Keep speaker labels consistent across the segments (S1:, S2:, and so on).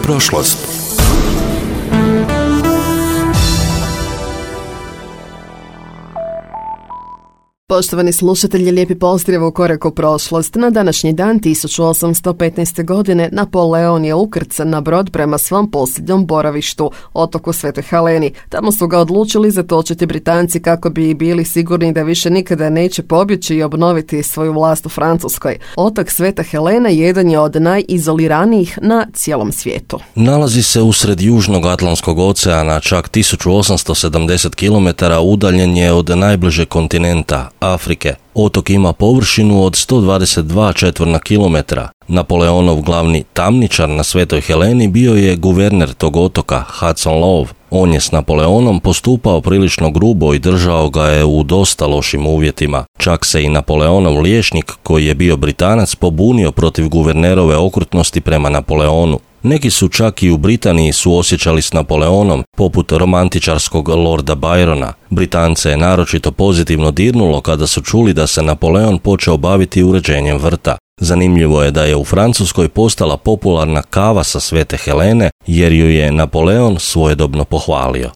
S1: prošlost.
S2: Poštovani slušatelji, lijepi pozdrav u korak u prošlost. Na današnji dan 1815. godine Napoleon je ukrcan na brod prema svom posljednjom boravištu, otoku Svetoj Heleni. Tamo su ga odlučili zatočiti Britanci kako bi bili sigurni da više nikada neće pobjeći i obnoviti svoju vlast u Francuskoj. Otok Sveta Helena jedan je od najizoliranijih na cijelom svijetu.
S3: Nalazi se usred Južnog Atlantskog oceana, čak 1870 km udaljen je od najbližeg kontinenta, Afrike. Otok ima površinu od 122 četvorna kilometra. Napoleonov glavni tamničar na Svetoj Heleni bio je guverner tog otoka, Hudson Lowe. On je s Napoleonom postupao prilično grubo i držao ga je u dosta lošim uvjetima. Čak se i Napoleonov liječnik, koji je bio Britanac, pobunio protiv guvernerove okrutnosti prema Napoleonu. Neki su čak i u Britaniji suosjećali s Napoleonom, poput romantičarskog Lorda Byrona. Britance je naročito pozitivno dirnulo kada su čuli da se Napoleon počeo baviti uređenjem vrta. Zanimljivo je da je u Francuskoj postala popularna kava sa Svete Helene, jer ju je Napoleon svojedobno pohvalio.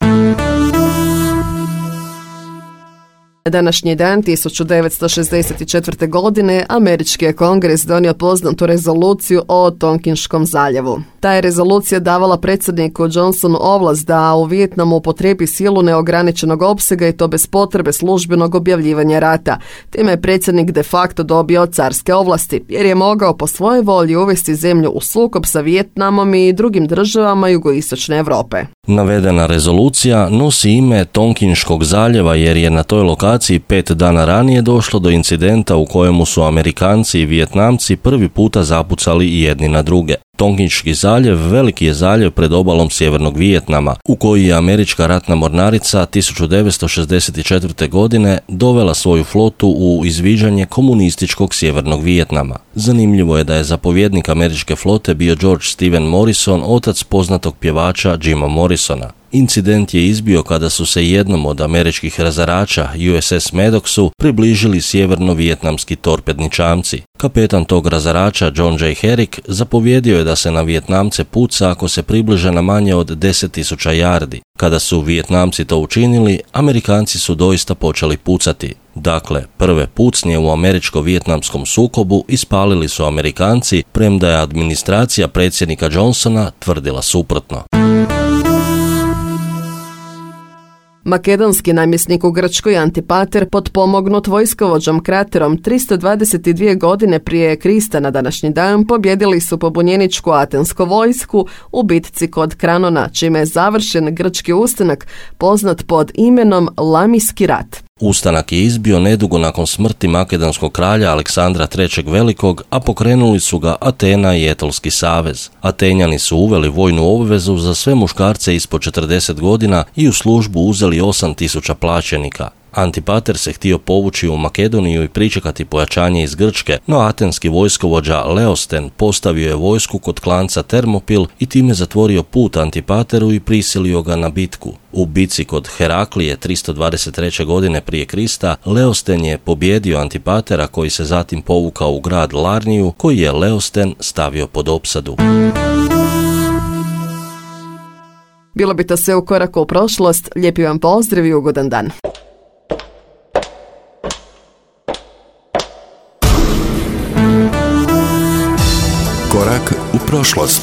S2: Današnji dan 1964. godine američki je kongres donio poznatu rezoluciju o Tonkinškom zaljevu. Ta je rezolucija davala predsjedniku Johnsonu ovlast da u Vijetnamu upotrebi silu neograničenog opsega i to bez potrebe službenog objavljivanja rata. Time je predsjednik de facto dobio carske ovlasti, jer je mogao po svojoj volji uvesti zemlju u sukob sa Vijetnamom i drugim državama jugoistočne Europe.
S3: Navedena rezolucija nosi ime Tonkinškog zaljeva jer je na toj lokaciji 5 dana ranije došlo do incidenta u kojemu su Amerikanci i Vijetnamci prvi puta zapucali jedni na druge. Tonkinški zaljev veliki je zaljev pred obalom sjevernog Vijetnama, u koji je američka ratna mornarica 1964. godine dovela svoju flotu u izviđanje komunističkog sjevernog Vijetnama. Zanimljivo je da je zapovjednik američke flote bio George Steven Morrison, otac poznatog pjevača Jima Morrisona. Incident je izbio kada su se jednom od američkih razarača USS Maddoxu približili sjeverno-vijetnamski torpedni čamci. Kapetan tog razarača John J. Herrick zapovjedio je da se na Vijetnamce puca ako se približe na manje od 10.000 yardi. Kada su Vijetnamci to učinili, Amerikanci su doista počeli pucati. Dakle, prve pucnje u američko-vijetnamskom sukobu ispalili su Amerikanci, premda je administracija predsjednika Johnsona tvrdila suprotno.
S2: Makedonski namjesnik u Grčkoj Antipater, potpomognut vojskovođom Kraterom 322 godine prije Krista na današnji dan, pobjedili su pobunjeničku atensku vojsku u bitci kod Kranona, čime je završen grčki ustanak poznat pod imenom Lamijski rat.
S3: Ustanak je izbio nedugo nakon smrti makedonskog kralja Aleksandra III. Velikog, a pokrenuli su ga Atena i Etolski savez. Atenjani su uveli vojnu obvezu za sve muškarce ispod 40 godina i u službu uzeli 8.000 plaćenika. Antipater se htio povući u Makedoniju i pričekati pojačanje iz Grčke, no atenski vojskovođa Leosten postavio je vojsku kod klanca Termopil i time zatvorio put Antipateru i prisilio ga na bitku. U bitci kod Heraklije 323. godine prije Krista, Leosten je pobjedio Antipatera, koji se zatim povukao u grad Larniju, koji je Leosten stavio pod opsadu.
S2: Bilo bi to sve u koraku u prošlost. Lijepi vam pozdrav i ugodan dan.
S1: Korak u prošlost.